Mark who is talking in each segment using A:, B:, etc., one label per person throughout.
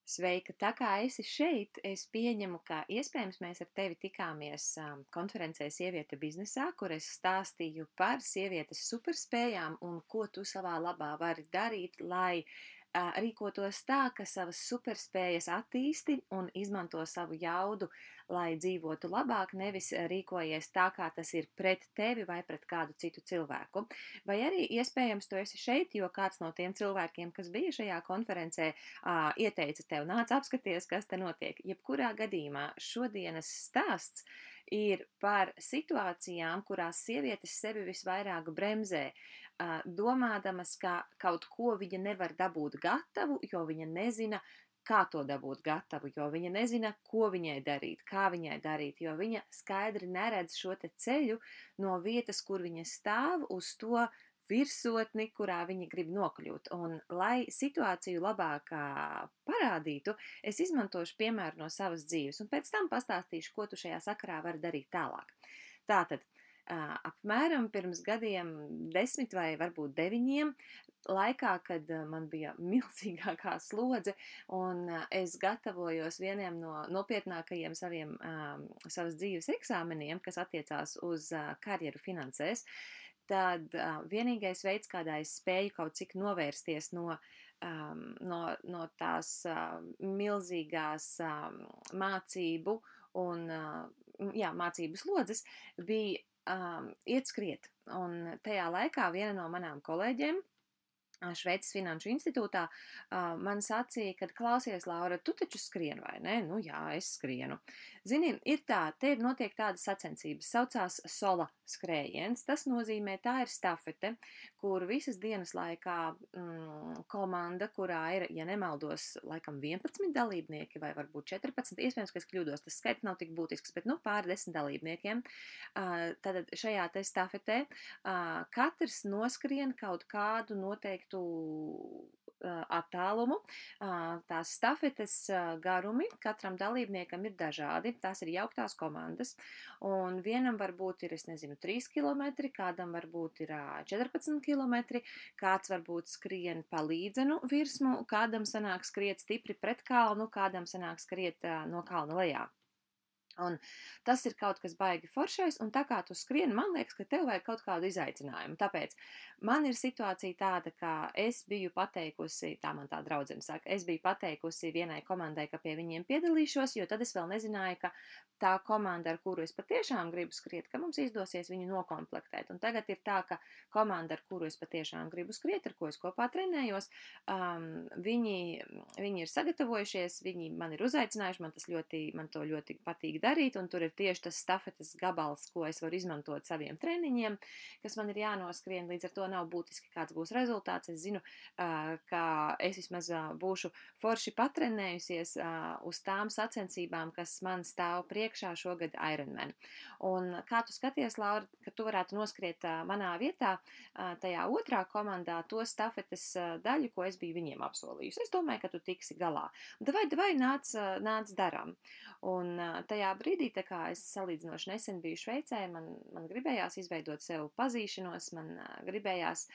A: Sveika! Tā kā esi šeit, es pieņemu, ka iespējams mēs ar tevi tikāmies konferencē Sieviete biznesā, kur es stāstīju par sievietes superspējām un ko tu savā labā vari darīt, lai rīkotos tā, ka savas superspējas attīsti un izmanto savu jaudu, lai dzīvotu labāk, nevis rīkojies tā, kā tas ir pret tevi vai pret kādu citu cilvēku. Vai arī iespējams tu esi šeit, jo kāds no tiem cilvēkiem, kas bija šajā konferencē, ieteica tev, nāc apskaties, kas te notiek. Jebkurā gadījumā šodienas stāsts ir par situācijām, kurās sievietes sevi visvairāk bremzē, domādamas, ka kaut ko viņa nevar dabūt gatavu, jo viņa nezina, kā to dabūt gatavu, jo viņa nezina, ko viņai darīt, kā viņai darīt, jo viņa skaidri neredz šo te ceļu no vietas, kur viņa stāv, uz to virsotni, kurā viņi grib nokļūt. Un, lai situāciju labāk parādītu, es izmantošu piemēru no savas dzīves, un pēc tam pastāstīšu, ko tu šajā sakarā vari darīt tālāk. Tātad, apmēram pirms gadiem 10 vai varbūt 9, laikā, kad man bija milzīgākā slodze un es gatavojos vieniem no nopietnākajiem savas dzīves eksāmeniem, kas attiecās uz karjeru finansēs, tad vienīgais veids, kādā es spēju kaut cik novērsties no tās milzīgās mācību un mācību slodzes, bija iet skriet. Un tajā laikā viena no manām kolēģiem Šveices Finanšu institūtā man sacīja, ka klausies, Laura, tu taču skrien, vai ne? Nu jā, es skrienu. Zini, ir tā, te ir notiek tādas sacensības, saucās sola skrējiens. Tas nozīmē, tā ir stafete, kur visas dienas laikā komanda, kurā ir, ja nemaldos, laikam 11 dalībnieki vai varbūt 14, iespējams, ka es kļūdos, tas skaits nav tik būtisks, bet pāri 10 dalībniekiem. Tātad šajā te stafetē katrs noskrien kaut kādu noteiktu attālumu. Tās stafetes garumi katram dalībniekam ir dažādi, tās ir jauktās komandas, un vienam varbūt ir, 3 kilometri, kādam varbūt ir 14 kilometri, kāds varbūt skrien pa līdzenu virsmu, kādam sanāk skriet stipri pret kalnu, kādam sanāk skriet no kalna lejā. Un tas ir kaut kas baigi foršais, un tā kā tu skrieni, man liekas, ka tev vajag kaut kādu izaicinājumu. Tāpēc man ir situācija tāda, ka es biju pateikusi, tā man tā draudzene saka, es biju pateikusi vienai komandai, ka pie viņiem piedalīšos, jo tad es vēl nezināju, ka tā komanda, ar kuru es patiešām gribu skriet, ka mums izdosies viņu nokomplektēt. Un tagad ir tā, ka komanda, ar kuru es patiešām gribu skriet, ar ko es kopā trenējos, viņi ir sagatavojušies, viņi man ir uzaicinājuši, man to ļoti patīk darīt, un tur ir tieši tas stafetes gabals, ko es varu izmantot saviem treniņiem, kas man ir jānoskrien, līdz ar to nav būtiski, kāds būs rezultāts. Es zinu, ka es vismaz būšu forši patrenējusies uz tām sacensībām, kas man stāv priekšā šogad Ironman. Un kā tu skaties, Laura, ka tu varētu noskriet manā vietā, tajā otrā komandā, to stafetes daļu, ko es biju viņiem apsolījusi. Es domāju, ka tu tiksi galā. Davai, nāc darām. Un tajā brīdī, tā kā es salīdzinoši nesen biju Šveicē, man gribējās izveidot sev pazīšanos, man gribējās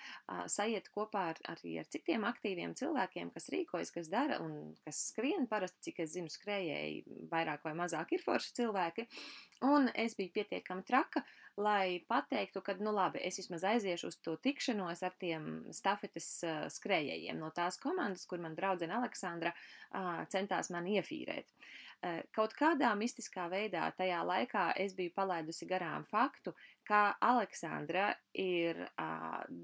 A: sajiet kopā arī ar citiem aktīviem cilvēkiem, kas rīkojas, kas dara un kas skrien. Parasti, cik es zinu, skrējēji vairāk vai mazāk ir forši cilvēki. Un es biju pietiekami traka, lai pateiktu, ka, nu labi, es vismaz aiziešu uz to tikšanos ar tiem stafetes skrējējiem no tās komandas, kur man draudzene Aleksandra centās mani iefīrēt. Kaut kādā mistiskā veidā tajā laikā es biju palaidusi garām faktu, ka Aleksandra ir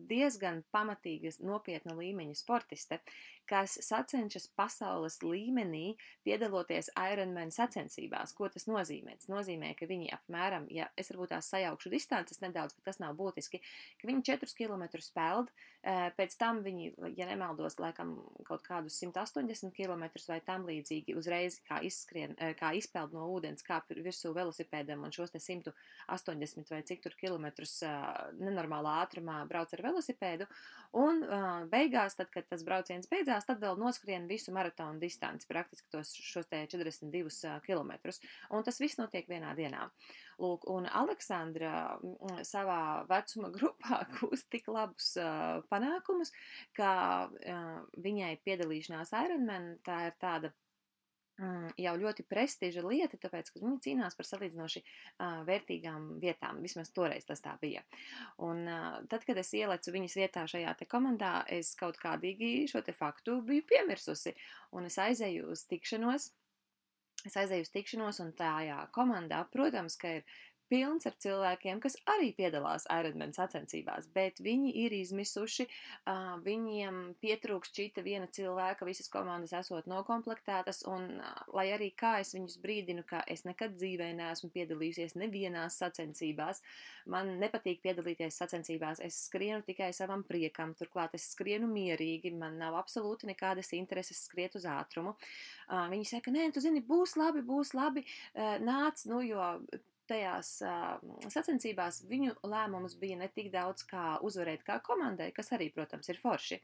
A: diezgan pamatīga, nopietna līmeņa sportiste, kas sacenšas pasaules līmenī piedaloties Ironman sacensībās. Ko tas nozīmē? Tas nozīmē, ka viņi apmēram, ja es varbūt tās sajaukšu distances nedaudz, bet tas nav būtiski, ka viņi 4 kilometrus peld, pēc tam viņi, ja nemaldos, laikam kaut kādus 180 kilometrus vai tam līdzīgi uzreiz kā izpeld no ūdens, kāp virsū velosipēdam un šos te 180 vai cik tur kilometrus nenormālā ātrumā brauc ar velosipēdu, un beigās, tad, kad tas brauciens beidzās, tad vēl noskrien visu maratonu distanci, praktiski šos te 42 kilometrus, un tas viss notiek vienā dienā. Lūk, un Aleksandra savā vecuma grupā gūst tik labus panākumus, ka viņai piedalīšanās Ironman, tā ir tāda jau ļoti prestiža lieta, tāpēc, ka viņi cīnās par salīdzinoši vērtīgām vietām. Vismaz toreiz tas tā bija. Un tad, kad es ielecu viņas vietā šajā te komandā, es kaut kādīgi šo te faktu biju piemirsusi. Un es aizēju uz tikšanos. Un tajā komandā, protams, ka ir pilns ar cilvēkiem, kas arī piedalās Ironman sacensībās, bet viņi ir izmisuši, viņiem pietrūkst šita viena cilvēka, visas komandas esot nokomplektētas, un lai arī kā es viņus brīdinu, ka es nekad dzīvē neesmu piedalījusies nevienās sacensībās, man nepatīk piedalīties sacensībās, es skrienu tikai savam priekam, turklāt es skrienu mierīgi, man nav absolūti nekādas intereses skriet uz ātrumu. Viņi saka, nē, tu zini, būs labi, nāc, nu, jo tajās sacensībās viņu lēmums bija ne tik daudz kā uzvarēt kā komandai, kas arī, protams, ir forši,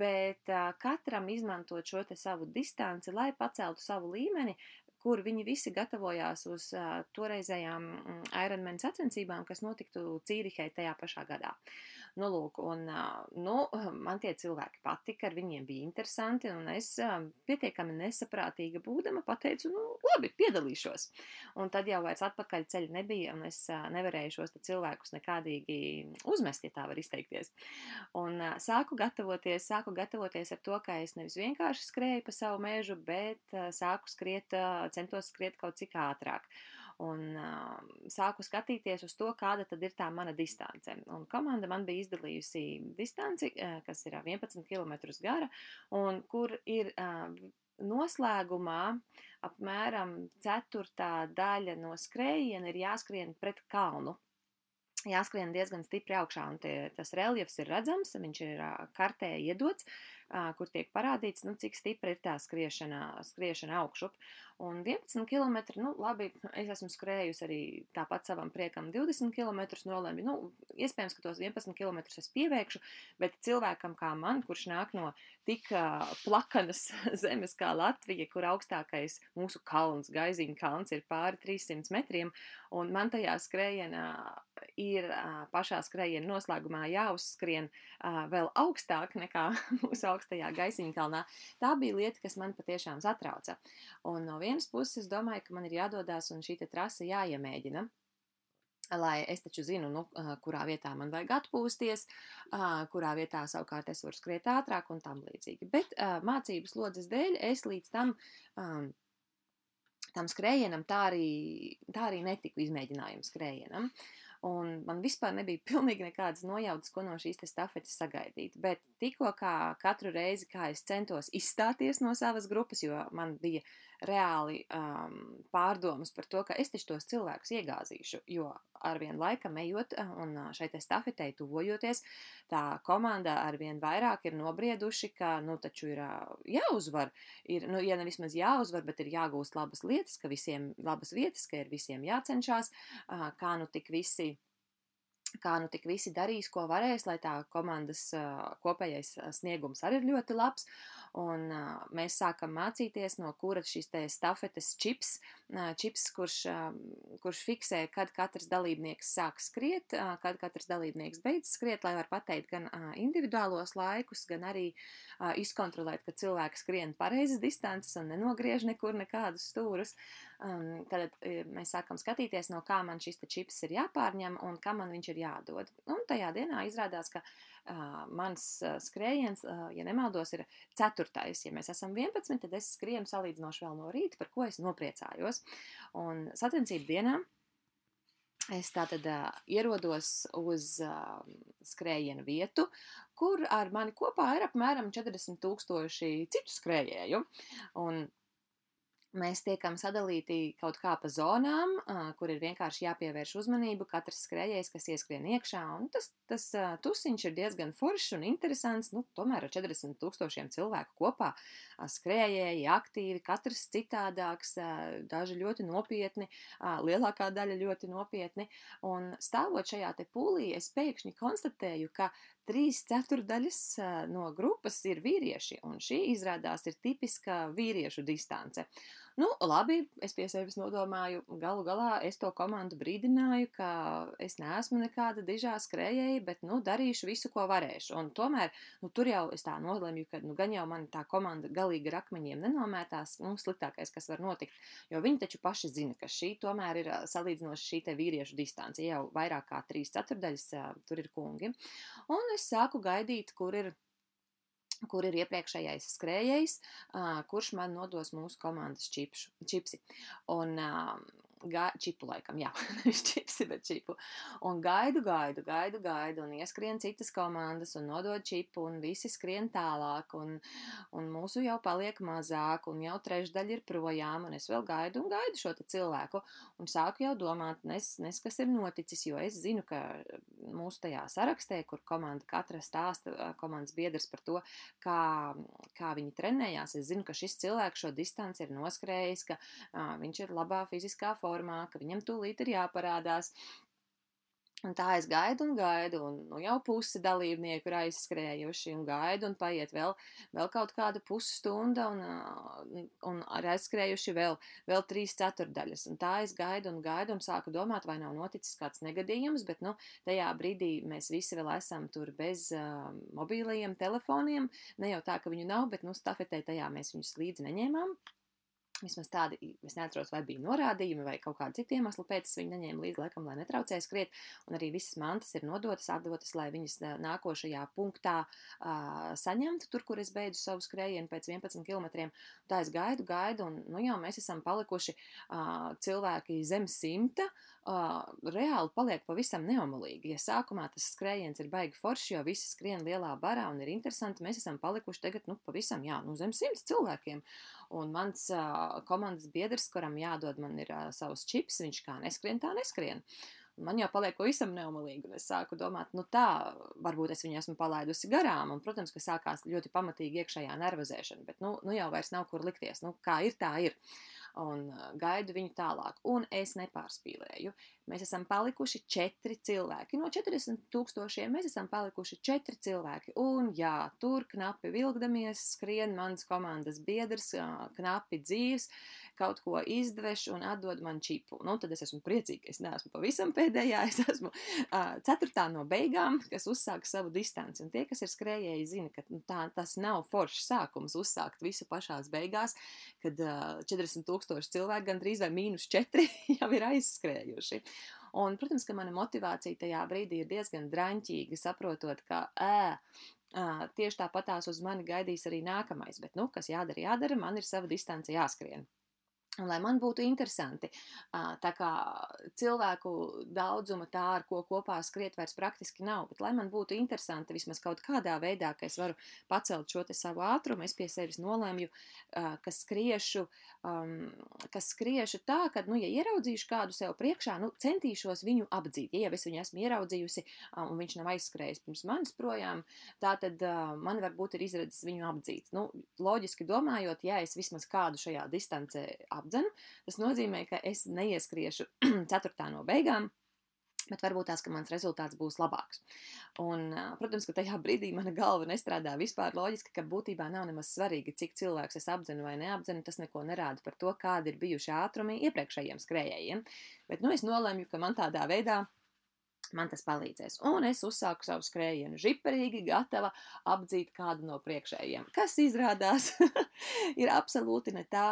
A: bet katram izmantot šo te savu distanci, lai paceltu savu līmeni, kur viņi visi gatavojās uz toreizējām Ironman sacensībām, kas notiktu Cīrihē tajā pašā gadā. Nu, lūk, un man tie cilvēki patika, ar viņiem bija interesanti, un es pietiekami nesaprātīga būdama pateicu, nu, labi, piedalīšos. Un tad jau vairs atpakaļ ceļa nebija, un es nevarēju šos cilvēkus nekādīgi uzmest, ja tā var izteikties. Un sāku gatavoties ar to, ka es nevis vienkārši skrēju pa savu mežu, bet centos skriet kaut cik ātrāk. Un sāku skatīties uz to, kāda tad ir tā mana distance. Un komanda man bija izdalījusi distanci, kas ir 11 km gara, un kur ir noslēgumā apmēram ceturtā daļa no skrējiena ir jāskrien pret kalnu. Jāskrien diezgan stipri augšā, un tas reljefs ir redzams, viņš ir kartē iedots, kur tiek parādīts, nu, cik stipra ir tā skriešana augšup. Un 11 km, nu, labi, es esmu skrējusi arī tāpat savam priekam 20 km nolēmi, nu, iespējams, ka tos 11 km es pieveikšu, bet cilvēkam kā man, kurš nāk no tik plakanas zemes kā Latvija, kur augstākais mūsu kalns, Gaiziņa kalns, ir pāri 300 metriem, un man tajā skrējienā ir pašā skrējiena noslēgumā jāuzskrien vēl augstāk nekā mūsu augstajā Gaisiņa kalnā. Tā bija lieta, kas man patiešām satrauca. Un no vienas puses es domāju, ka man ir jādodās un šī trase jāiemēģina, lai es taču zinu, nu, kurā vietā man vajag atpūsties, kurā vietā savukārt es varu skriet ātrāk un tam līdzīgi. Bet mācības slodzes dēļ es līdz tam skrējienam tā arī netiku izmēģinājumu skrējienam. Un man vispār nebija pilnīgi nekādas nojautas, ko no šīs stafetes sagaidīt. Bet tikko kā katru reizi, kā es centos izstāties no savas grupas, jo man bija reāli pārdomas par to, ka es taču tos cilvēkus iegāzīšu, jo arvien laikam ejot un šai stafetei tuvojoties, tā komanda arvien vairāk ir nobrieduši, ka, nu, taču ir jāuzvar. Ir, nu, ja ne vismaz jāuzvar, bet ir jāgūst labas lietas, ka visiem labas vietas, ka ir visiem jācenšās, kā nu tik visi darīs, ko varēs, lai tā komandas kopējais sniegums arī ir ļoti labs. Un mēs sākam mācīties, no kura šīs te stafetes čips, kurš fiksē, kad katrs dalībnieks sāk skriet, kad katrs dalībnieks beidz skriet, lai var pateikt gan individuālos laikus, gan arī izkontrolēt, ka cilvēki skrien pareizas distances un nenogriež nekur nekādus stūrus. Tad mēs sākam skatīties, no kā man šis te čips ir jāpārņem un kam man viņš ir jādod. Un tajā dienā izrādās, ka mans skrējiens, ja nemaldos, ir 4. Ja mēs esam 11, tad es skrienu salīdzinoši vēl no rīta, par ko es nopriecājos. Un sacensību dienā es tātad ierodos uz skrējiena vietu, kur ar mani kopā ir apmēram 40,000 citu skrējēju. Un mēs tiekam sadalīti kaut kā pa zonām, kur ir vienkārši jāpievērš uzmanību katrs skrējējs, kas ieskrien iekšā, un tas tusiņš ir diezgan foršs un interesants, nu, tomēr ar 40,000 cilvēku kopā, skrējēji, aktīvi, katrs citādāks, daži ļoti nopietni, lielākā daļa ļoti nopietni, un stāvot šajā te pūlī, es pēkšņi konstatēju, ka 3/4 no grupas ir vīrieši, un šī izrādās ir tipiska vīriešu distance. Nu, labi, es pie sevis nodomāju, galu galā es to komandu brīdināju, ka es neesmu nekāda dižā skrējēja, bet, nu, darīšu visu, ko varēšu. Un tomēr, nu, tur jau es tā nolemju, ka, nu, gan jau man tā komanda galīgi ar akmeņiem nenomētās, nu, sliktākais, kas var notikt, jo viņi taču paši zina, ka šī tomēr ir salīdzinoši šī te vīriešu distance, jau vairāk kā 3/4 tur ir kungi. Un es sāku gaidīt, kur ir iepriekšējais skrējējs, kurš man nodos mūsu komandas čipsi. Un čipu laikam, jā, nevis čipsi, bet čipu. Un gaidu, un ieskrien citas komandas, un nodod čipu, un visi skrien tālāk, un mūsu jau paliek mazāk, un jau trešdaļa ir projām, un es vēl gaidu šo te cilvēku, un sāku jau domāt, kas ir noticis, jo es zinu, ka mūsu tajā sarakstē, kur komanda katra stāsta, komandas biedrs par to, kā viņi trenējās, es zinu, ka šis cilvēks šo distanci ir noskrējis, ka viņš ir labā fiziskā formā, ka viņam tūlīt ir jāparādās. Un tā es gaidu, un nu, jau pusi dalībnieku ir aizskrējuši, un gaidu, un paiet vēl kaut kāda pusstunda, un ir aizskrējuši vēl 3/4. Un tā es gaidu, un sāku domāt, vai nav noticis kāds negadījums, bet, nu, tajā brīdī mēs visi vēl esam tur bez mobīlajiem telefoniem, ne jau tā, ka viņu nav, bet, nu, stafetē tajā mēs viņus līdzi neņēmām. Vismaz tādi, es neatceros, vai bija norādījumi vai kaut kādi citi iemesli pēc, es viņu neņēmu līdzi, laikam, lai netraucēja skriet, un arī visas mantas ir atdotas, lai viņas nākošajā punktā saņemtu, tur, kur es beidzu savu skrējienu pēc 11 kilometriem. Tā es gaidu, un, nu jau mēs esam palikuši cilvēki zem 100, reāli paliek pavisam neomolīgi. Ja sākumā tas skrējiens ir baigi forši, jo visi skrien lielā barā un ir interesanti, mēs esam palikuši tagad, nu, pavisam, jā, nu, zem 100 cilvēkiem. Un mans komandas biedrs, kuram jādod man ir savs čips, viņš kā neskrien, tā neskrien. Man jau paliek pavisam neomolīgi, un es sāku domāt, nu tā, varbūt es viņu esmu palaidusi garām, un, protams, ka sākās ļoti pamatīgi iekšējā nervozēšana, bet, nu jau vairs nav kur likties, nu, kā ir, tā ir. Un gaidu viņu tālāk, un es nepārspīlēju. Mēs esam palikuši 4 cilvēki. No 40,000 mēs esam palikuši 4 cilvēki, un jā, tur knapi vilkdamies, skrien mans komandas biedrs, knapi dzīves, kaut ko izdveš un atdod man čipu. Nu, tad es esmu priecīga, es neesmu pavisam pēdējā, es esmu 4. no beigām, kas uzsāk savu distanci, un tie, kas ir skrējēji, zina, ka tas nav foršs sākums uzsākt visu pašās beigās, kad 40,000 cilvēki gandrīz vai -4 jau ir aizskrējuši. Un, protams, ka mana motivācija tajā brīdī ir diezgan draņķīga, saprotot, ka tieši tāpatās uz mani gaidīs arī nākamais, bet, nu, kas jādara, man ir sava distance jāskrien. Un, lai man būtu interesanti, tā kā cilvēku daudzuma tā, ar ko kopā skriet vairs praktiski nav, bet lai man būtu interesanti vismaz kaut kādā veidā, ka es varu pacelt šo te savu ātrumu, es pie sevis nolēmju, ka skriešu tā, ka, nu, ja ieraudzīšu kādu sev priekšā, nu, centīšos viņu apdzīt. Ja jau es viņu esmu ieraudzījusi, un viņš nav aizskrējis pirms manis projām, tā tad man varbūt ir izredzes viņu apdzīt. Nu, loģiski domājot, ja es vismaz kādu šajā distancē apdzenu, tas nozīmē, ka es neieskriešu 4. no beigām, bet varbūt tās, ka mans rezultāts būs labāks. Un, protams, ka tajā brīdī mana galva nestrādā vispār loģiski, ka būtībā nav nemaz svarīgi, cik cilvēks es apdzenu vai neapdzenu, tas neko nerāda par to, kādi ir bijuši ātrumi iepriekšējiem skrējējiem. Bet, nu, es nolēmu, ka man tādā veidā man tas palīdzēs. Un es uzsāku savu skrējienu žiperīgi, gatava apdzīt kādu no priekšējiem, kas izrādās ir absolūti ne tā,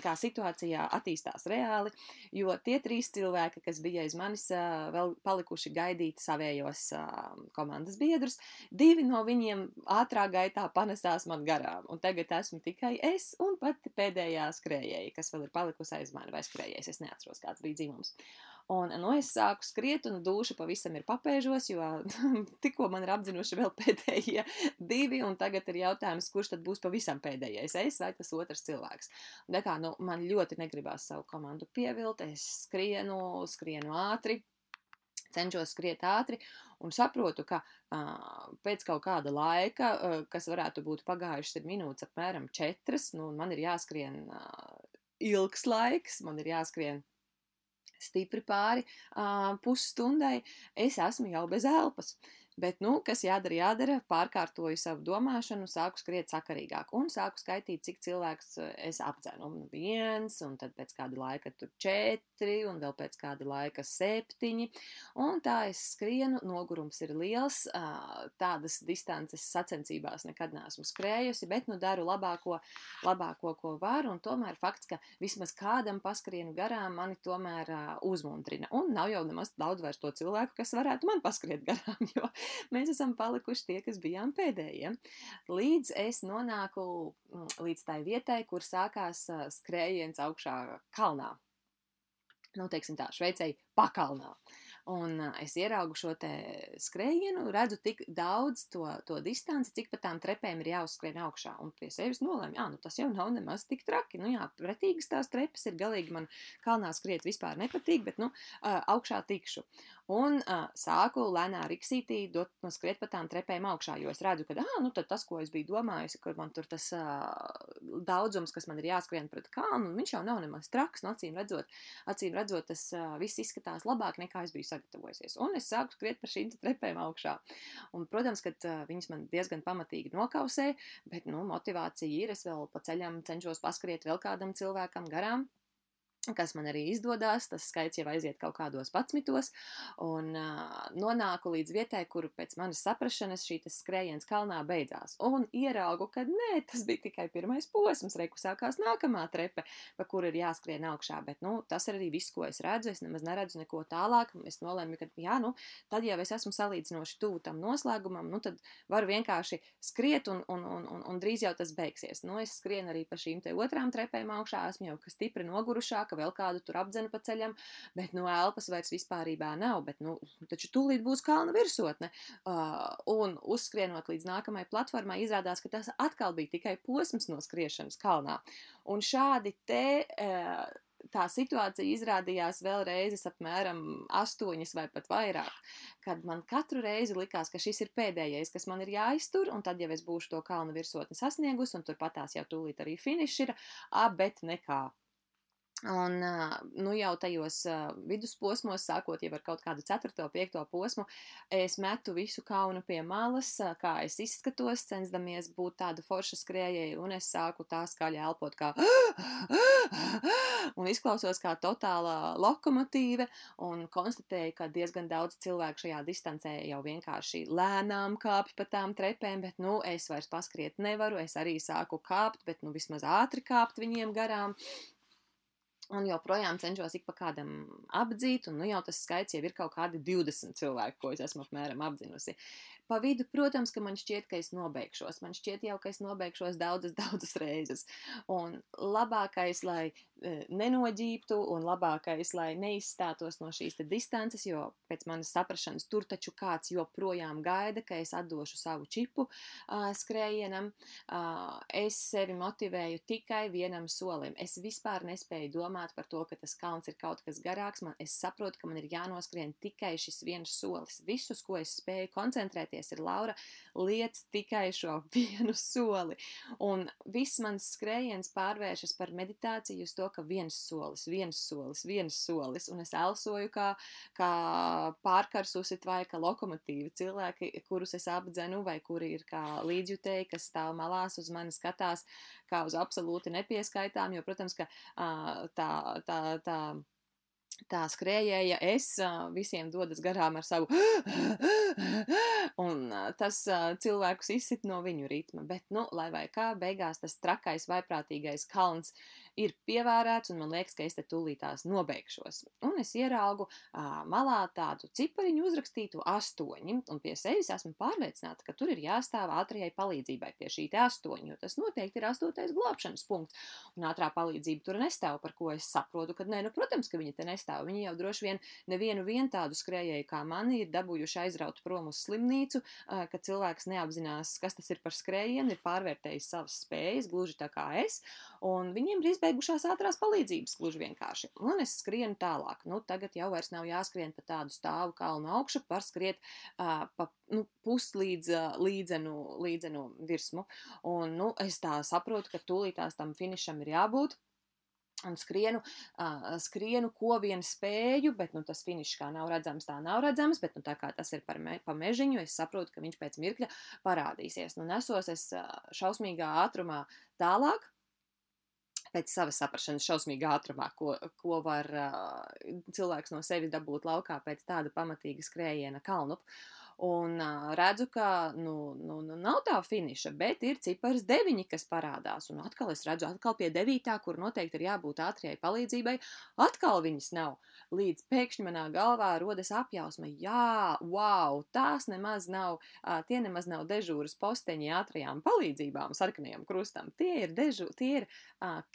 A: kā situācijā attīstās reāli, jo tie 3 cilvēki, kas bija aiz manis, vēl palikuši gaidīt savējos komandas biedrus, 2 no viņiem ātrā gaitā panesās man garām, un tagad esmu tikai es un pati pēdējā skrējēja, kas vēl ir palikusi aiz mani, vai skrējējs, es neatceros, kāds bija dzimums. Un, nu, es sāku skriet, un dūša pavisam ir papēžos, jo tikko man ir apdzinuši vēl pēdējie 2, un tagad ir jautājums, kurš tad būs pavisam pēdējais, es vai tas otrs cilvēks. Un, kā, nu, man ļoti negribās savu komandu pievilt, es skrienu ātri, cenšos skriet ātri, un saprotu, ka pēc kaut kāda laika, kas varētu būt pagājušas ir minūtes apmēram 4, nu, man ir jāskrien ilgs laiks, man ir jāskrien stipri pāri pusstundai, es esmu jau bez elpas. Bet, nu, kas jādara, pārkārtoju savu domāšanu, sāku skriet sakarīgāk un sāku skaitīt, cik cilvēks es apdzenu. Un 1, un tad pēc kāda laika tur 4, un vēl pēc kāda laika 7. Un tā es skrienu, nogurums ir liels, tādas distances sacensībās nekad neesmu skrējusi, bet, nu, daru labāko, ko varu, un tomēr fakts, ka vismaz kādam paskrienu garām mani tomēr uzmundrina. Un nav jau nemaz daudz vairs to cilvēku, kas varētu man paskriet garām, jo mēs esam palikuši tie, kas bijām pēdējie. Līdz es nonāku līdz tai vietai, kur sākās skrējiens augšā kalnā. Nu, teiksim tā, Šveicei pakalnā. Un es ieraugu šo te skrējienu, redzu tik daudz to distanci, cik pa tām trepēm ir jāuzskrien augšā. Un pie sevis nolēmu, nu tas jau nav nemaz tik traki. Nu jā, pretīgas tās trepes ir, galīgi man kalnā skriet vispār nepatīk, bet, nu, augšā tikšu. Un sāku lēnā riksītī skriet pa tām trepēm augšā, jo es redzu, ka, nu tad tas, ko es biju domājusi, kur man tur tas daudzums, kas man ir jāskrien pret kalnu, viņš jau nav nemaz traks, nu, acīm redzot, tas viss izskatās labāk, nekā es biju sagatavojusies. Un es sāku skriet par šīm trepēm augšā. Un, protams, ka viņas man diezgan pamatīgi nokausē, bet, nu, motivācija ir, es vēl pa ceļam cenšos paskriet vēl kādam cilvēkam garām, kas man arī izdodās, tas skaits jau aiziet kaut kādos 11, un nonāku līdz vietai, kur pēc manas saprašanas šī skrējiens kalnā beidzās. Un ieraugu, ka nē, tas bija tikai pirmais posms, reku sākās nākamā trepe, pa kuru ir jāskrien augšā, bet, nu, tas ir arī viss, ko es redzu, es nemaz neredzu neko tālāk, es nolēmu, ka, jā, nu, tad jau es esmu salīdzinoši tuvu tam noslēgumam, nu, tad varu vienkārši skriet un drīz jau tas beigsies. Nu, es skrienu arī pa šīm te otrām trepēm augšā, esmu jau stipri nogurušāka, vēl kādu tur apdzenu pa ceļam, bet, nu, elpas vairs vispārībā nav, bet, nu, taču tūlīt būs kalna virsotne. Un uzskrienot līdz nākamajai platformai, izrādās, ka tas atkal bija tikai posms no skriešanas kalnā. Un šādi te tā situācija izrādījās vēl reizes apmēram 8 vai pat vairāk, kad man katru reizi likās, ka šis ir pēdējais, kas man ir jāiztur, un tad jau es būšu to kalna virsotni sasniegus, un turpatās jau tūlīt arī finišs ir, bet nekā. Un, nu, jau tajos vidusposmos, sākot jau ar kaut kādu 4. 5. posmu, es metu visu kaunu pie malas, kā es izskatos, censdamies būt tāda forša skrējēja, un es sāku tā skaļi elpot kā un izklausos kā totālā lokomotīve, un konstatēju, ka diezgan daudz cilvēku šajā distancē jau vienkārši lēnām kāpj pa tām trepēm, bet, nu, es vairs paskriet nevaru, es arī sāku kāpt, bet, nu, vismaz ātri kāpt viņiem garām. Un joprojām cenšos ik pa kādam apdzīt, un, nu, jau tas skaits jau ir kaut kādi 20 cilvēki, ko es esmu apmēram apdzinusi. Pa vidu, protams, ka man šķiet, ka es nobeigšos. Man šķiet jau, ka es nobeigšos daudzas reizes. Un labākais, lai nenoģīptu, un labākais, lai neizstātos no šīs te distances, jo pēc manas saprašanas tur taču kāds joprojām gaida, ka es atdošu savu čipu skrējienam. Es sevi motivēju tikai vienam solim. Es vispār nespēju domāt par to, ka tas kalns ir kaut kas garāks. Es saprotu, ka man ir jānoskrien tikai šis viens solis. Visus, ko es spēju koncentrēties, ir Laura, liec tikai šo vienu soli. Un viss mans skrējiens pārvēršas par meditāciju uz to, ka viens solis, un es elsoju kā pārkarsusi tvaika lokomotīva. Cilvēki, kurus es apdzenu, vai kuri ir kā līdzjutēji, kas stāv malās uz mani skatās kā uz absolūti nepieskaitām, jo, protams, ka tā skrējēja visiem dodas garām ar savu un tas cilvēkus izsit no viņu ritma, bet, nu, lai vai kā, beigās tas trakais vaiprātīgais kalns ir pievērēts, un man liekas, ka es te tūlītās nobeigšos. Un es ieraugu malā tādu cipariņu uzrakstītu 8, un pie sevis esmu pārliecināta, ka tur ir jāstāv ātrajai palīdzībai pie šī te 8, jo tas noteikti ir 8. glābšanas punkts, un ātrā palīdzība tur nestāv, par ko es saprotu, ka nē, nu, protams, ka viņa te nestāv. Viņi jau droši vien nevienu tādu skrējēju kā mani ir dabūjuši aizraut prom uz slimnīcu, ka cilvēks neapzinās, kas tas ir par skrējienu, ir pārvērtējis savas spējas, gluži tā kā es, un viņiem ir izbeigušās ātrās palīdzības, gluži vienkārši. Un es skrienu tālāk. Nu, tagad jau vairs nav jāskrien pa tādu stāvu kalnu augšu, var skriet pa līdzenu virsmu. Un, nu, es tā saprotu, ka tūlītās tam finišam ir jābūt. un skrienu, ko vien spēju, bet, nu, tas finišs kā nav redzams, tā nav redzams, bet, nu, tā kā tas ir pa mežiņu, es saprotu, ka viņš pēc mirkļa parādīsies. Nu, nesos es šausmīgā ātrumā tālāk, pēc savas saprašanas šausmīgā ātrumā, ko var cilvēks no sevis dabūt laukā pēc tāda pamatīga skrējiena kalnu. Un redzu, ka nav tā finiša, bet ir cipars 9, kas parādās. Un atkal es redzu, pie 9, kur noteikti ir jābūt ātrijai palīdzībai, atkal viņas nav. Līdz pēkšņi manā galvā rodas apjausma, jā, wow, tie nemaz nav dežūras posteņi ātrajām palīdzībām, sarkanajam krustam. Tie ir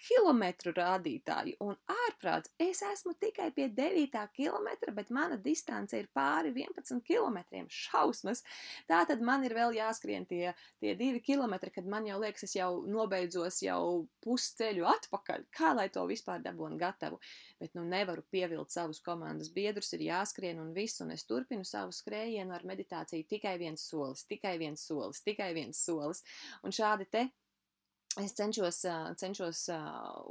A: kilometru rādītāji. Un ārprāts, es esmu tikai pie 9. kilometra, bet mana distance ir pāri 11 kilometriem. Šausmas. Tā tad man ir vēl jāskrien tie 2 kilometri, kad man jau liekas, es jau nobeidzos jau pusceļu atpakaļ. Kā lai to vispār dabūnu gatavu? Bet nu nevaru pievilt savus komandas biedrus, ir jāskrien un viss, un es turpinu savu skrējienu ar meditāciju tikai viens solis, tikai viens solis, tikai viens solis. Un šādi te es cenšos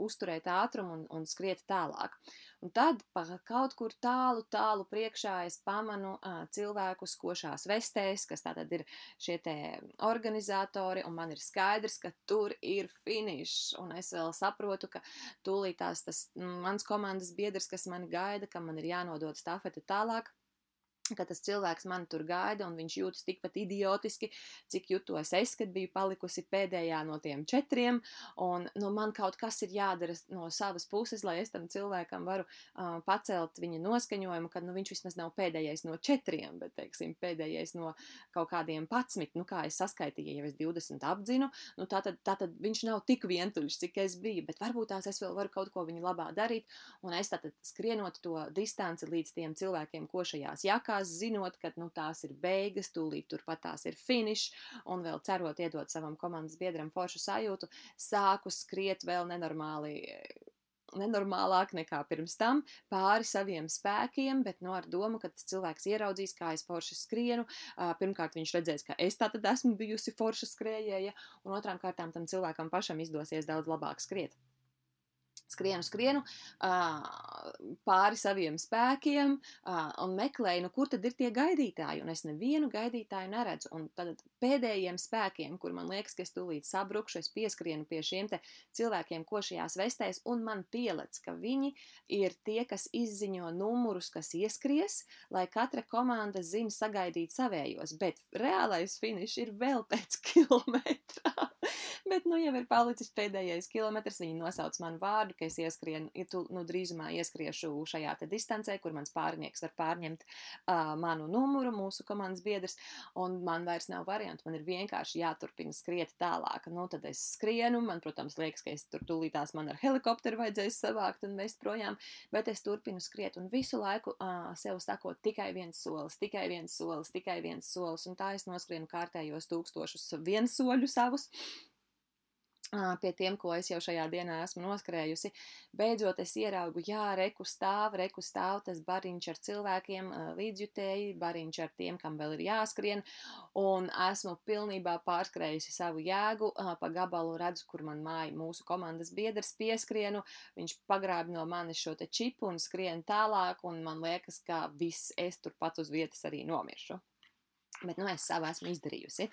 A: uzturēt ātrumu un skriet tālāk. Un tad kaut kur tālu priekšā es pamanu cilvēkus košās vestēs, kas tātad ir šie te organizatori, un man ir skaidrs, ka tur ir finišs, un es vēl saprotu, ka tūlīt tas mans komandas biedrs, kas mani gaida, ka man ir jānodod stafetu tālāk, ka tas cilvēks mani tur gaida, un viņš jūtas tikpat idiotiski, cik jutos es, kad biju palikusi pēdējā no tiem 4, un man kaut kas ir jādara no savas puses, lai es tam cilvēkam varu pacelt viņa noskaņojumu, kad viņš vismaz nav pēdējais no 4, bet, teiksim, pēdējais no kaut kādiem 11, kā es saskaitīju, ja es 20 apdzinu, tātad viņš nav tik vientuļš, cik es biju, bet varbūt tās es vēl varu kaut ko viņa labā darīt, un es tātad skrienot to distanci līdz tiem cilvēkiem košajās jakās, zinot, ka tās ir beigas, tūlīt turpat tās ir finišs, un vēl cerot iedot savam komandas biedram foršu sajūtu, sāku skriet vēl nenormālāk nekā pirms tam, pāri saviem spēkiem, bet ar domu, ka tas cilvēks ieraudzīs, kā es forši skrienu. Pirmkārt, viņš redzēs, ka es tātad esmu bijusi forša skrējēja, un otrām kārtām tam cilvēkam pašam izdosies daudz labāk skriet. Skrienu pāri saviem spēkiem un meklēju, kur tad ir tie gaidītāji, un es nevienu gaidītāju neredzu, un tad pēdējiem spēkiem, kur man liekas, ka es tūlīt sabrukšu, es pieskrienu pie šiem te cilvēkiem košajās vestēs, un man pielec, ka viņi ir tie, kas izziņo numurus, kas ieskries, lai katra komanda zina sagaidīt savējos, bet reālais finišs ir vēl pēc kilometrā. Bet jau ir palicis pēdējais kilometrs, viņi nosauc manu vārdu, ka es drīzumā ieskriešu šajā te distancē, kur mans pārnieks var pārņemt manu numuru, mūsu komandas biedrs, un man vairs nav variantu, man ir vienkārši jāturpina skriet tālāk. Tad es skrienu, man, protams, liekas, ka es tur tūlītās man ar helikopteru vajadzēs savākt un mest projām, bet es turpinu skriet un visu laiku sev sakot tikai viens solis, tikai viens solis, tikai viens solis, un tā es noskrienu kārtējos 1000 viensoļu savus. Pie tiem, ko es jau šajā dienā esmu noskrējusi. Beidzot es ieraugu, reku stāv tas bariņš ar cilvēkiem, līdzjutēji, bariņš ar tiem, kam vēl ir jāskrien, un esmu pilnībā pārskrējusi savu jēgu, pa gabalu redzu, kur man māja mūsu komandas biedrs, pieskrienu, viņš pagrāb no manis šo te čipu un skrien tālāk, un man liekas, ka viss es turpat uz vietas arī nomiršu. Bet es savu esmu izdarījusi.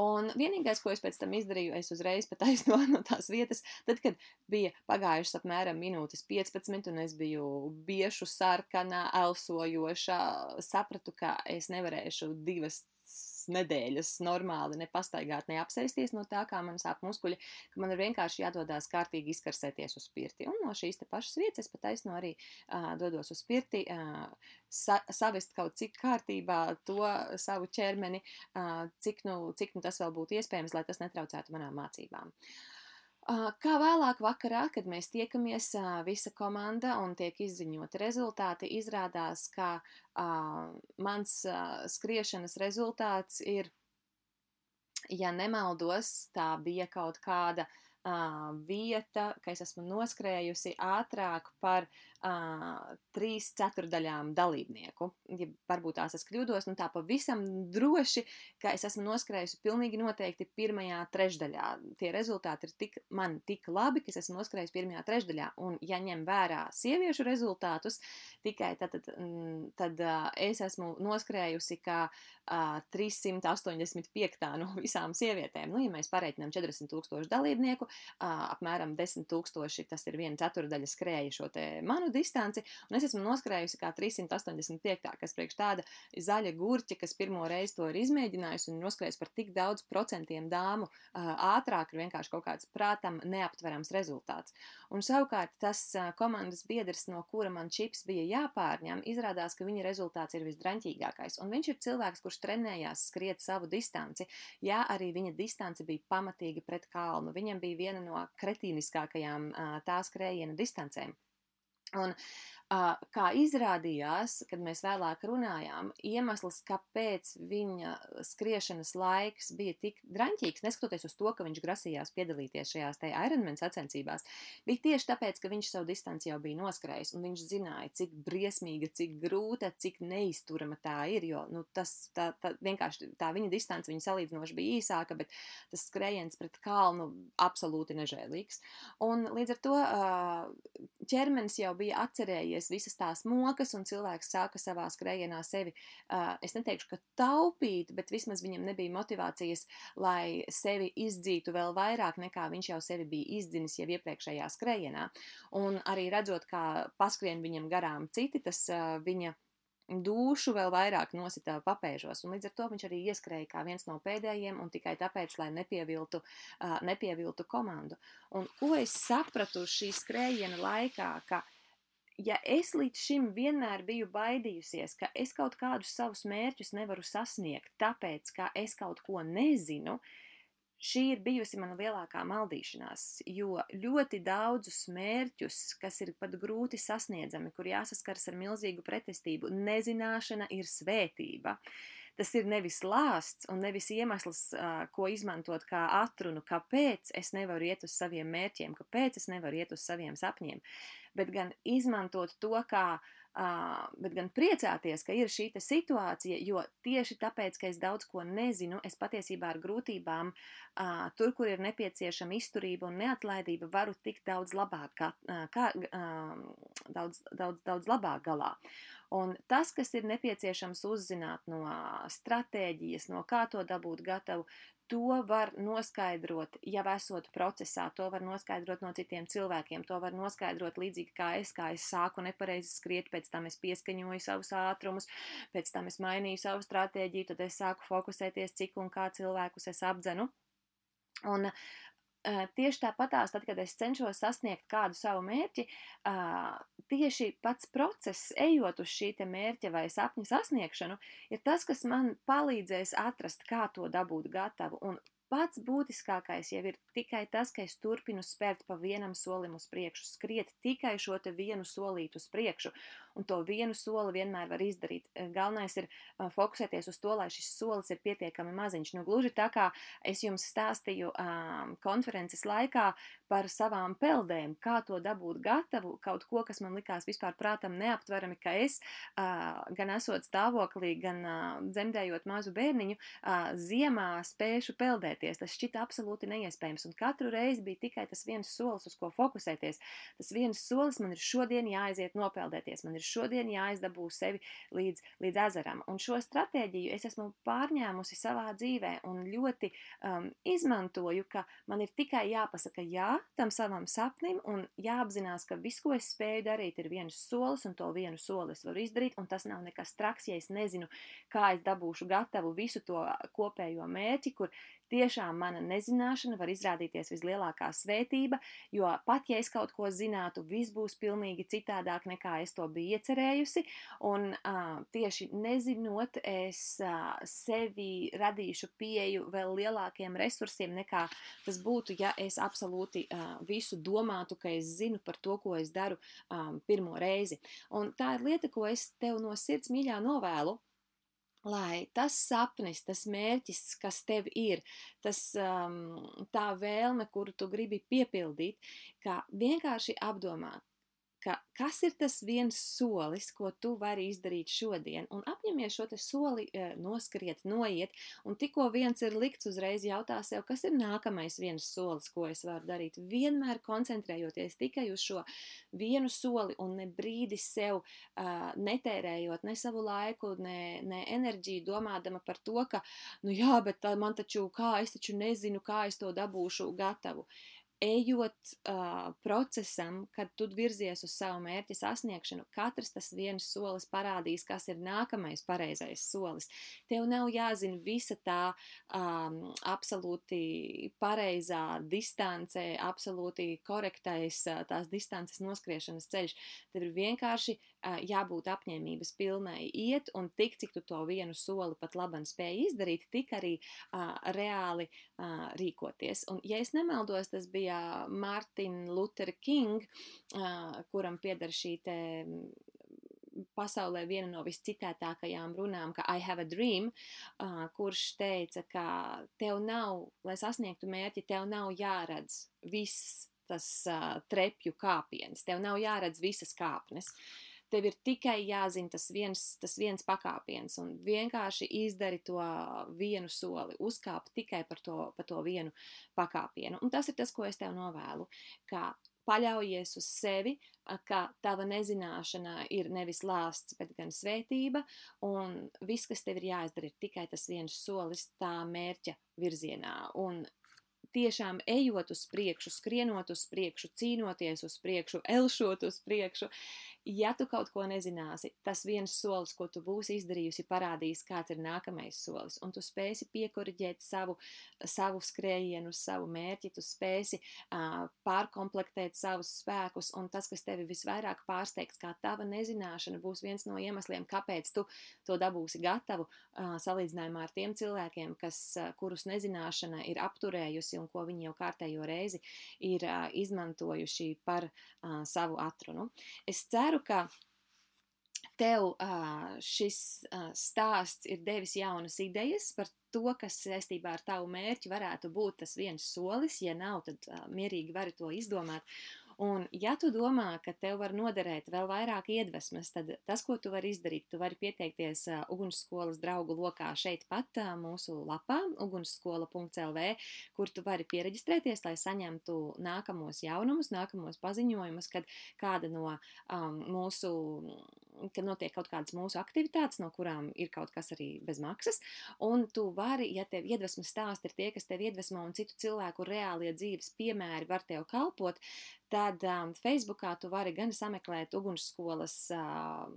A: Un vienīgais, ko es pēc tam izdarīju, es uzreiz pataisno no tās vietas, tad, kad bija pagājušas apmēram minūtes 15, un es biju biešu sarkanā, elsojošā, sapratu, ka es nevarēšu 2 nedēļas normāli nepastaigāt, neapsēsties no tā, kā man sāp muskuļi, ka man ir vienkārši jādodās kārtīgi izkarsēties uz pirti. Un no šīs te pašas vietas es pataisno arī dodos uz pirti, savest kaut cik kārtībā to savu ķermeni, cik tas vēl būtu iespējams, lai tas netraucētu manām mācībām. Kā vēlāk vakarā, kad mēs tiekamies visa komanda un tiek izziņoti rezultāti, izrādās, ka mans skriešanas rezultāts ir, ja nemaldos, tā bija kaut kāda vieta, ka es esmu noskrējusi ātrāk par 3/4 dalībnieku. Ja varbūt tās es kļūdos, tā pavisam droši, ka es esmu noskrējusi pilnīgi noteikti pirmajā trešdaļā. Tie rezultāti ir man tik labi, ka es esmu noskrējusi pirmajā trešdaļā. Un, ja ņem vērā sieviešu rezultātus, tikai tad es esmu noskrējusi kā 385. No visām sievietēm. Ja mēs pareiķinām 40,000 dalībnieku, apmēram 10,000, tas ir 1/4 skrēja šo te manu distanci, un es esmu noskrējusi kā 385. kas priekš tāda zaļa gurķa, kas pirmo reizi to ir izmēģinājusi un noskrējusi par tik daudz procentiem dāmu ātrāk, ir vienkārši kaut kāds prātam neaptverams rezultāts. Un savukārt tas komandas biedrs, no kura man čips bija jāpārņem, izrādās, ka viņa rezultāts ir visdraņķīgākais. Un viņš ir cilvēks, kurš trenējās skriet savu distanci. Jā, arī viņa distance bija pamatīgi pret kalnu. Viņam bija viena no kretīniskākajām tā skrējiena distancēm. Un kā izrādījās, kad mēs vēlāk runājām, iemesls, kāpēc viņa skriešanas laiks bija tik draņķīgs, neskatoties uz to, ka viņš grasījās piedalīties šajās te Ironman sacensībās, bija tieši tāpēc, ka viņš savu distanci jau bija noskrējis, un viņš zināja, cik briesmīga, cik grūta, cik neizturama tā ir, jo vienkārši tā viņa distance viņa salīdzinoši bija īsāka, bet tas skrējiens pret kalnu absolūti nežēlīgs. Un līdz ar to ķermenis jau bija atcerējies visas tās mokas, un cilvēks sāka savā skrējienā sevi, es neteikšu, ka taupīt, bet vismaz viņam nebija motivācijas, lai sevi izdzītu vēl vairāk, nekā viņš jau sevi bija izdzinis jau iepriekšējā skrējienā. Un arī redzot, kā paskrien viņam garām citi, tas viņa dūšu vēl vairāk nosita papēžos, un līdz ar to viņš arī ieskrēja kā viens no pēdējiem, un tikai tāpēc, lai nepieviltu komandu. Un ko es sapratu šī skrējiena laikā, ka ja es līdz šim vienmēr biju baidījusies, ka es kaut kādus savus mērķus nevaru sasniegt, tāpēc, ka es kaut ko nezinu, šī ir bijusi mana lielākā maldīšanās, jo ļoti daudzus mērķus, kas ir pat grūti sasniedzami, kur jāsaskars ar milzīgu pretestību, nezināšana ir svētība. Tas ir nevis lāsts un nevis iemesls, ko izmantot kā atrunu, kāpēc es nevaru iet uz saviem mērķiem, kāpēc es nevaru iet uz saviem sapņiem, bet gan izmantot to bet gan priecāties, ka ir šī situācija, jo tieši tāpēc, ka es daudz ko nezinu, es patiesībā ar grūtībām, tur, kur ir nepieciešama izturība un neatlaidība, varu tikt daudz labāk galā. Un tas, kas ir nepieciešams uzzināt no stratēģijas, no kā to dabūt gatavu, to var noskaidrot, jau esot procesā, to var noskaidrot no citiem cilvēkiem, to var noskaidrot līdzīgi kā es sāku nepareizi skriet, pēc tam es pieskaņoju savus ātrumus, pēc tam es mainīju savu stratēģiju, tad es sāku fokusēties, cik un kā cilvēkus es apdzenu. Un tieši tāpatās, tad, kad es cenšos sasniegt kādu savu mērķi, tieši pats process, ejot uz šī te mērķa vai sapņa sasniegšanu, ir tas, kas man palīdzēs atrast, kā to dabūt gatavu. Un pats būtiskākais jau ir tikai tas, ka es turpinu spērt pa vienam solim uz priekšu, skriet tikai šo te vienu solītu uz priekšu, un to vienu soli vienmēr var izdarīt. Galvenais ir fokusēties uz to, lai šis solis ir pietiekami maziņš. Gluži tā kā es jums stāstīju konferences laikā par savām peldēm, kā to dabūt gatavu, kaut ko, kas man likās vispār prātam neaptverami, ka es, gan esot stāvoklī, gan dzemdējot mazu bērniņu, ziemā spēšu peldēties. Tas šķita absolūti neiespējams, un katru reizi bija tikai tas viens solis, uz ko fokusēties. Tas viens solis, man ir šodien jāaiziet nopeldēties, man ir šodien jāizdabū sevi līdz ezeram. Un šo stratēģiju es esmu pārņēmusi savā dzīvē un ļoti izmantoju, ka man ir tikai jāpasaka jā tam savam sapnim un jāapzinās, ka viss, ko es spēju darīt, ir viens solis, un to vienu soli es varu izdarīt, un tas nav nekas traks, ja es nezinu, kā es dabūšu gatavu visu to kopējo mērķi, kur tiešām mana nezināšana var izrādīties vislielākā svētība, jo pat, ja es kaut ko zinātu, viss būs pilnīgi citādāk, nekā es to biju iecerējusi, un tieši nezinot, es sevi radīšu pieeju vēl lielākiem resursiem, nekā tas būtu, ja es absolūti visu domātu, ka es zinu par to, ko es daru pirmo reizi. Un tā ir lieta, ko es tev no sirds mīļā novēlu. lai tas sapnis, tas mērķis, kas tev ir, tā vēlme, kuru tu gribi piepildīt, kā vienkārši apdomāt, kas ir tas viens solis, ko tu vari izdarīt šodien, un apņemies šo te soli noskriet, noiet, un tikko viens ir likts, uzreiz jautā sev, kas ir nākamais viens solis, ko es varu darīt, vienmēr koncentrējoties tikai uz šo vienu soli un ne brīdi sev netērējot ne savu laiku, ne enerģiju, domādama par to, ka, nu jā, bet man taču, es taču nezinu, kā es to dabūšu gatavu. Ejot procesam, kad tu virzies uz savu mērķa sasniegšanu, katrs tas viens solis parādīs, kas ir nākamais pareizais solis. Tev nav jāzina visa tā absolūti pareizā distance, absolūti korektais tās distances noskriešanas ceļš. Tev ir vienkārši jābūt apņēmības pilnai iet, un tik, cik tu to vienu soli pat labam spēj izdarīt, tik arī reāli rīkoties. Un, ja es nemaldos, tas bija Martin Luther King, kuram pieder šī te pasaulē viena no viscitētākajām runām, ka I have a dream, kurš teica, ka tev nav, lai sasniegtu mērķi, tev nav jāredz viss tas trepju kāpiens, tev nav jāredz visas kāpnes. Tev ir tikai jāzina tas viens pakāpiens, un vienkārši izdari to vienu soli, uzkāp tikai par to vienu pakāpienu. Un tas ir tas, ko es tev novēlu, ka paļaujies uz sevi, ka tava nezināšana ir nevis lāsts, bet gan svētība, un viss, kas tev ir jāizdara, ir tikai tas viens solis tā mērķa virzienā. Un tiešām ejot uz priekšu, skrienot uz priekšu, cīnoties uz priekšu, elšot uz priekšu, ja tu kaut ko nezināsi, tas viens solis, ko tu būsi izdarījusi, parādīs, kāds ir nākamais solis, un tu spēsi piekoriģēt savu skrējienu, savu mērķi, tu spēsi pārkomplektēt savus spēkus, un tas, kas tevi visvairāk pārsteigs, kā tava nezināšana, būs viens no iemesliem, kāpēc tu to dabūsi gatavu, salīdzinājumā ar tiem cilvēkiem, kurus nezināšana ir apturējusi un ko viņi jau kārtējo reizi ir izmantojuši par savu atrunu. Es ceru, ka tev šis stāsts ir devis jaunas idejas par to, kas saistībā ar tavu mērķi varētu būt tas viens solis. Ja nav, tad mierīgi vari to izdomāt. Un, ja tu domā, ka tev var noderēt vēl vairāk iedvesmas, tad tas, ko tu vari izdarīt, tu vari pieteikties ugunsskolas draugu lokā šeit pat mūsu lapā, ugunsskola.lv, kur tu vari piereģistrēties, lai saņemtu nākamos jaunumus, nākamos paziņojumus, kad kāda no kad notiek kaut kādas mūsu aktivitātes, no kurām ir kaut kas arī bez maksas, un tu vari, ja tev iedvesmas stāsti ir tie, kas tev iedvesmo un citu cilvēku reālie dzīves piemēri var tev kalpot, tad Facebookā tu vari gan sameklēt ugunsskolas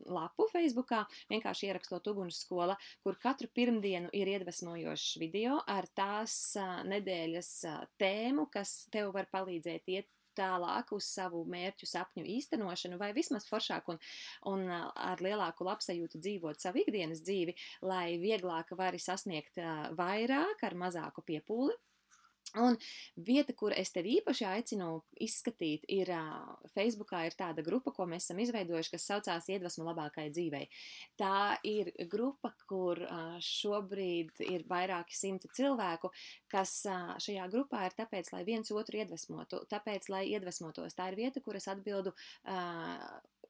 A: lapu Facebookā, vienkārši ierakstot ugunsskola, kur katru pirmdienu ir iedvesmojošs video ar tās nedēļas tēmu, kas tev var palīdzēt iet tālāk uz savu mērķu sapņu īstenošanu, vai vismaz foršāk un ar lielāku labsajūtu dzīvot savu ikdienas dzīvi, lai vieglāk vari sasniegt vairāk ar mazāku piepūli. Un vieta, kur es tevi īpaši aicinu izskatīt, ir Facebookā ir tāda grupa, ko mēs esam izveidojuši, kas saucās Iedvesma labākai dzīvei. Tā ir grupa, kur šobrīd ir vairāki simti cilvēku, kas šajā grupā ir tāpēc, lai viens otru iedvesmotu, tāpēc, lai iedvesmotos. Tā ir vieta, kur es atbildu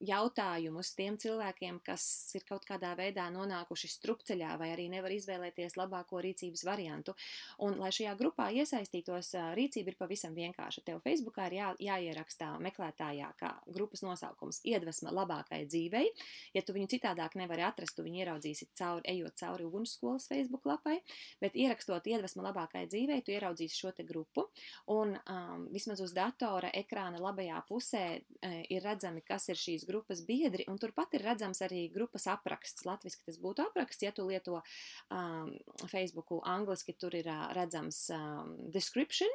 A: jautājumus tiem cilvēkiem, kas ir kaut kādā veidā nonākuši strupceļā vai arī nevar izvēlēties labāko rīcības variantu. Un, lai šajā grupā iesaistītos, rīcība ir pavisam vienkārša. Tev Facebookā ir jāierakstā meklētājā kā grupas nosaukums Iedvesma labākai dzīvei. Ja tu viņu citādāk nevari atrast, tu viņu ieraudzīsi ejot cauri ugunsskolas Facebook lapai, bet ierakstot Iedvesma labākai dzīvei, tu ieraudzīsi šo te grupu, un vismaz uz datora ekrāna labajā pusē ir redzami, kas ir šīs grupas biedri, un turpat ir redzams arī grupas apraksts. Latviski tas būtu apraksts, ja tu lieto Facebooku angliski, tur ir redzams description,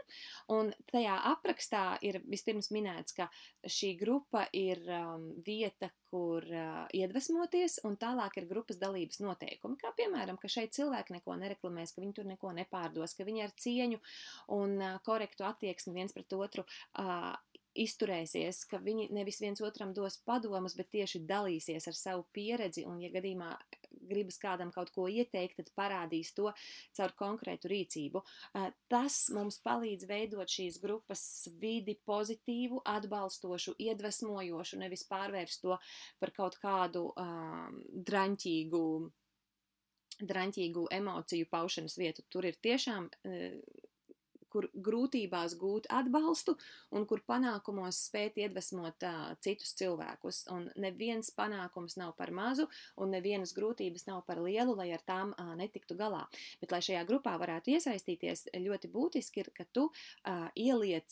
A: un tajā aprakstā ir vispirms minēts, ka šī grupa ir vieta, kur iedvesmoties, un tālāk ir grupas dalības noteikumi, kā piemēram, ka šeit cilvēki neko nereklamēs, ka viņi tur neko nepārdos, ka viņi ar cieņu un korektu attieksmi viens pret otru izturēsies, ka viņi nevis viens otram dos padomus, bet tieši dalīsies ar savu pieredzi, un ja gadījumā gribas kādam kaut ko ieteikt, tad parādīs to caur konkrētu rīcību. Tas mums palīdz veidot šīs grupas vidi pozitīvu, atbalstošu, iedvesmojošu, nevis pārvērst to par kaut kādu draņķīgu emociju paušanas vietu. Tur ir tiešām kur grūtībās gūt atbalstu un kur panākumos spēt iedvesmot citus cilvēkus. Un neviens panākums nav par mazu un nevienas grūtības nav par lielu, lai ar tām netiktu galā. Bet, lai šajā grupā varētu iesaistīties, ļoti būtiski ir, ka tu ieliec...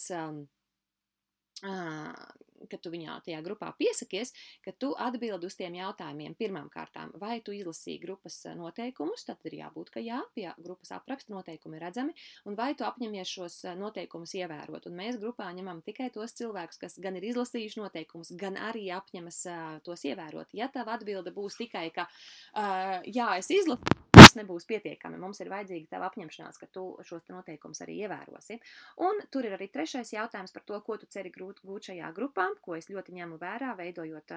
A: kad tu viņā tajā grupā piesakies, ka tu atbildi uz tiem jautājumiem pirmām kārtām, vai tu izlasīji grupas noteikumus, tad ir jābūt, ka jā, pie grupas apraksta noteikumi ir redzami, un vai tu apņemies šos noteikumus ievērot. Un mēs grupā ņemam tikai tos cilvēkus, kas gan ir izlasījuši noteikumus, gan arī apņemas tos ievērot. Ja tava atbilde būs tikai, ka jā, es izlasu, tas nebūs pietiekami. Mums ir vajadzīga tava apņemšanās, ka tu šos noteikumus arī ievērosi. Un tur ir arī trešais jautājums par to, ko tu ceri gūt šajā grupā, ko es ļoti ņemu vērā, veidojot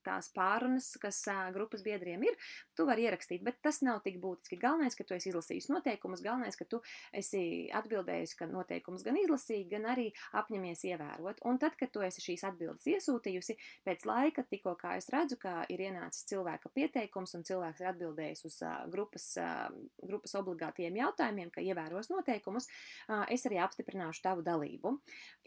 A: tās pārunas, kas grupas biedriem ir. Tu vari ierakstīt, bet tas nav tik būtiski. Galvenais, ka tu esi izlasījis noteikumus, galvenais, ka tu esi atbildējusi, ka noteikumus gan izlasīji, gan arī apņemies ievērot. Un tad, kad tu esi šīs atbildes iesūtījusi, pēc laika, tikko kā es redzu, ka ir ienācis cilvēka pieteikums un cilvēks ir atbildējis uz grupas obligātiem jautājumiem, ka ievēros noteikumus, es arī apstiprināšu tavu dalību.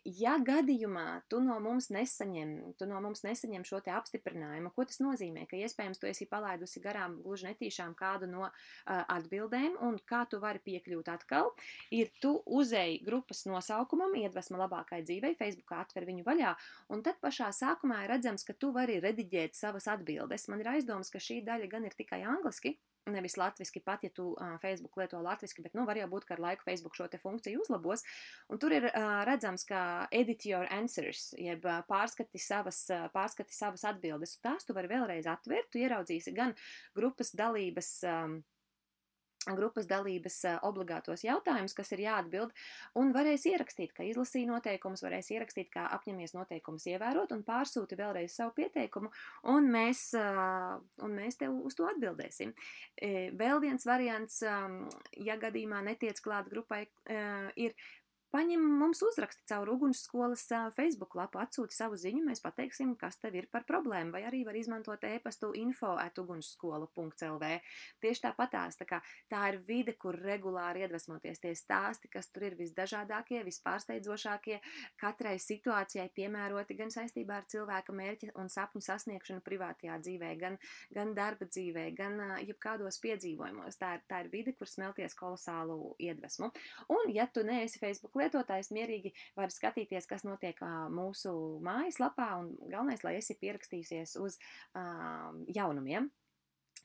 A: Ja gadījumā tu no mums nesaņem šo te apstiprinājumu, ko tas nozīmē, ka iespējams tu esi palaidusi garām gluži netīšām kādu no atbildēm, un kā tu vari piekļūt atkal, ir tu uzēji grupas nosaukumam, iedvesma labākai dzīvei, Facebookā atver viņu vaļā, un tad pašā sākumā ir redzams, ka tu vari rediģēt savas atbildes. Man ir aizdomas, ka šī daļa gan ir tikai angliski, nevis latviski, pat ja tu Facebook lieto latviski, bet var jau būt, ka ar laiku Facebook šo te funkciju uzlabos. Un tur ir redzams, ka edit your answers, jeb pārskati savas atbildes. Tās tu vari vēlreiz atvērt, tu ieraudzīsi gan grupas dalības obligātos jautājumus, kas ir jāatbild, un varēs ierakstīt, ka izlasīja noteikumus, varēs ierakstīt, kā apņemies noteikumus ievērot, un pārsūti vēlreiz savu pieteikumu, un mēs tev uz to atbildēsim. Vēl viens variants, ja gadījumā netiec klāt grupai, ir paņem mums uzraksti caur Ugunsskolas Facebook lapu, atsūti savu ziņu, mēs pateiksim, kas tev ir par problēmu, vai arī var izmantot e-pastu info@ugunsskola.lv. Tieši tāpatās, tā ir vide, kur regulāri iedvesmoties tie stāsti, kas tur ir visdažādākie, vispārsteidzošākie, katrai situācijai piemēroti gan saistībā ar cilvēka mērķa un sapņu sasniegšanu privātajā dzīvē, gan darba dzīvē, gan jebkādos piedzīvojumos. Tā ir vide, kur smelties kolosālu iedvesmu. Un, ja tu neesi Facebook lietotājs, mierīgi var skatīties, kas notiek mūsu mājaslapā, un galvenais, lai esi pierakstījusies uz jaunumiem,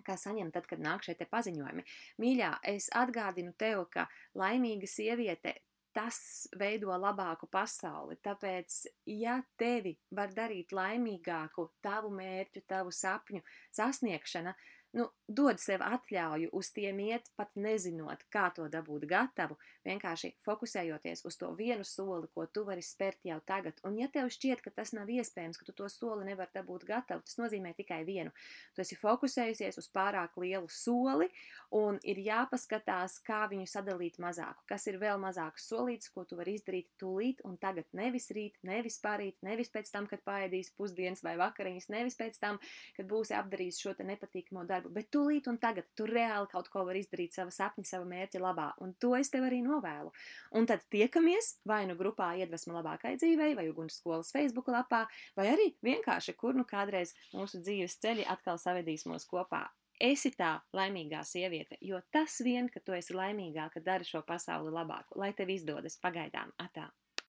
A: kā saņem tad, kad nāk šie te paziņojumi. Mīļā, es atgādinu tev, ka laimīga sieviete, tas veido labāku pasauli, tāpēc, ja tevi var darīt laimīgāku tavu mērķu, tavu sapņu sasniegšana, dod sev atļauju uz tiem iet, pat nezinot, kā to dabūt gatavu, vienkārši fokusējoties uz to vienu soli, ko tu vari spērt jau tagad. Un ja tev šķiet, ka tas nav iespējams, ka tu to soli nevar dabūt gatavu, tas nozīmē tikai vienu. Tu esi fokusējusies uz pārāk lielu soli, un ir jāpaskatās, kā viņu sadalīt mazāku. Kas ir vēl mazāks solīts, ko tu vari izdarīt tūlīt un tagad, nevis rīt, nevis parīt, nevis pēc tam, kad paēdīs pusdienas vai vakariņas, nevis pēc tam, kad būsi apdarījis šo te nepatīkamo darbu, bet tūlīt un tagad tu reāli kaut ko vari izdarīt sava sapņa, sava mērķa labā, un to es tev arī novēlu. Un tad tiekamies vai nu grupā Iedvesma labākai dzīvei, vai Ugunsskolas Facebook lapā, vai arī vienkārši, kur kādreiz mūsu dzīves ceļi atkal savedīs mūs kopā. Esi tā laimīgā sieviete, jo tas vien, ka tu esi laimīgāka, dara šo pasauli labāku. Lai tev izdodas pagaidām.